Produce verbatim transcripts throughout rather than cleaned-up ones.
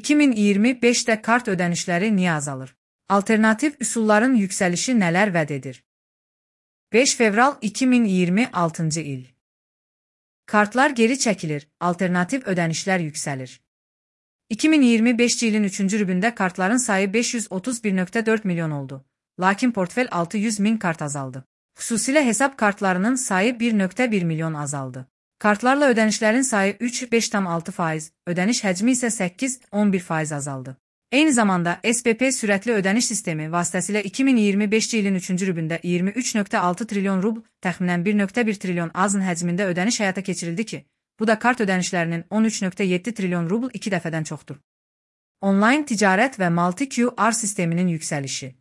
iki min iyirmi beşdə kart ödənişləri niyə azalır? Alternativ üsulların yüksəlişi nələr vəd edir? beş fevral iki min iyirmi altıncı il. Kartlar geri çəkilir, alternativ ödənişlər yüksəlir. iki min iyirmi beşinci ilin üçüncü rübündə kartların sayı beş yüz otuz bir nöqtə dörd milyon oldu. Lakin portfel altı yüz min kart azaldı. Xüsusilə hesab kartlarının sayı bir nöqtə bir milyon azaldı. Kartlarla ödənişlərin sayı üç beş tam altı faiz, ödəniş həcmi isə səkkiz on bir faiz azaldı. Eyni zamanda S B P sürətli ödəniş sistemi vasitəsilə iki min iyirmi beşinci ilin üçüncü rübündə iyirmi üç nöqtə altı trilyon rubl, təxminən bir nöqtə bir trilyon azın həcmində ödəniş həyata keçirildi ki, bu da kart ödənişlərinin on üç nöqtə yeddi trilyon rubl iki dəfədən çoxdur. Onlayn ticarət və multi Q R sisteminin yüksəlişi.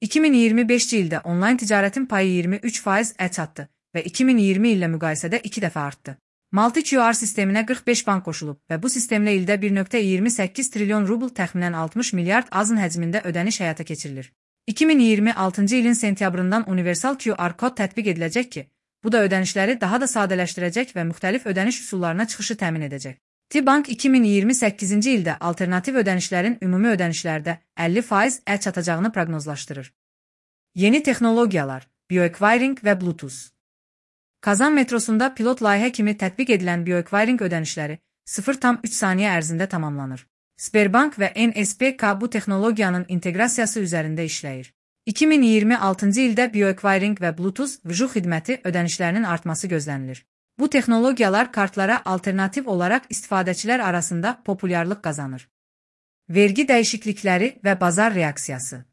iki min iyirmi beşinci ildə onlayn ticarətin payı iyirmi üç faiz-ə çatdı və iki min iyirmi illə müqayisədə iki dəfə artdı. Multi Q R sisteminə qırx beş bank qoşulub və bu sistemlə ildə bir nöqtə iyirmi səkkiz trilyon rubl təxminən altmış milyard azın həcmində ödəniş həyata keçirilir. iki min iyirmi altıncı ilin sentyabrından universal Q R kod tətbiq ediləcək ki, bu da ödənişləri daha da sadələşdirəcək və müxtəlif ödəniş üsullarına çıxışı təmin edəcək. T-Bank iki min iyirmi səkkizinci ildə alternativ ödənişlərin ümumi ödənişlərdə əlli faiz-ə çatacağını proqnozlaşdırır. Yeni texnologiyalar, bioekviring və Bluetooth. Kazan metrosunda pilot layihə kimi tətbiq edilən bioekviring ödənişləri sıfır tam üç saniyə ərzində tamamlanır. Sberbank və N S B K bu texnologiyanın inteqrasiyası üzərində işləyir. iki min iyirmi altıncı ildə bioekviring və Bluetooth V J xidməti ödənişlərinin artması gözlənilir. Bu texnologiyalar kartlara alternativ olaraq istifadəçilər arasında populyarlıq qazanır. Vergi dəyişiklikləri və bazar reaksiyası.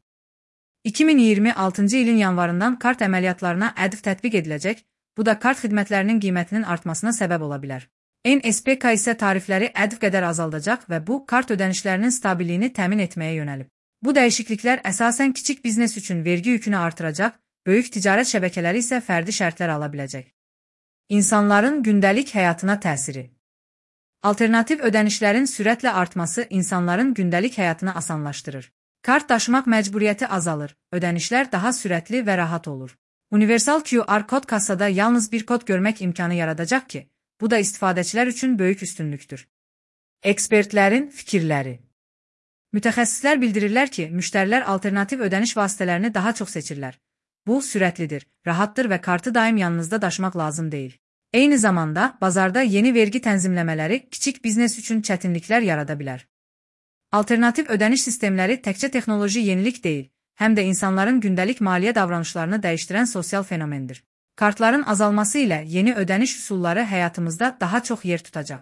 iki min iyirmi altıncı ilin yanvarından kart əməliyyatlarına ədv tətbiq ediləcək, bu da kart xidmətlərinin qiymətinin artmasına səbəb ola bilər. N S B K isə tarifləri ədv qədər azaldacaq və bu, kart ödənişlərinin stabiliyini təmin etməyə yönəlib. Bu dəyişikliklər əsasən kiçik biznes üçün vergi yükünü artıracaq, böyük ticarət şəbəkələri isə fərdi şərtlər ala biləcək. İnsanların gündəlik həyatına təsiri. Alternativ ödənişlərin sürətlə artması insanların gündəlik həyatını asanlaşdırır. Kart daşımaq məcburiyyəti azalır, ödənişlər daha sürətli və rahat olur. Universal Q R kod kassada yalnız bir kod görmək imkanı yaradacaq ki, bu da istifadəçilər üçün böyük üstünlükdür. Ekspertlərin fikirləri. Mütəxəssislər bildirirlər ki, müştərilər alternativ ödəniş vasitələrini daha çox seçirlər. Bu, sürətlidir, rahatdır və kartı daim yanınızda daşımaq lazım deyil. Eyni zamanda, bazarda yeni vergi tənzimləmələri kiçik biznes üçün çətinliklər yarada bilər. Alternativ ödəniş sistemləri təkcə texnoloji yenilik deyil, həm də insanların gündəlik maliyyə davranışlarını dəyişdirən sosial fenomendir. Kartların azalması ilə yeni ödəniş üsulları həyatımızda daha çox yer tutacaq.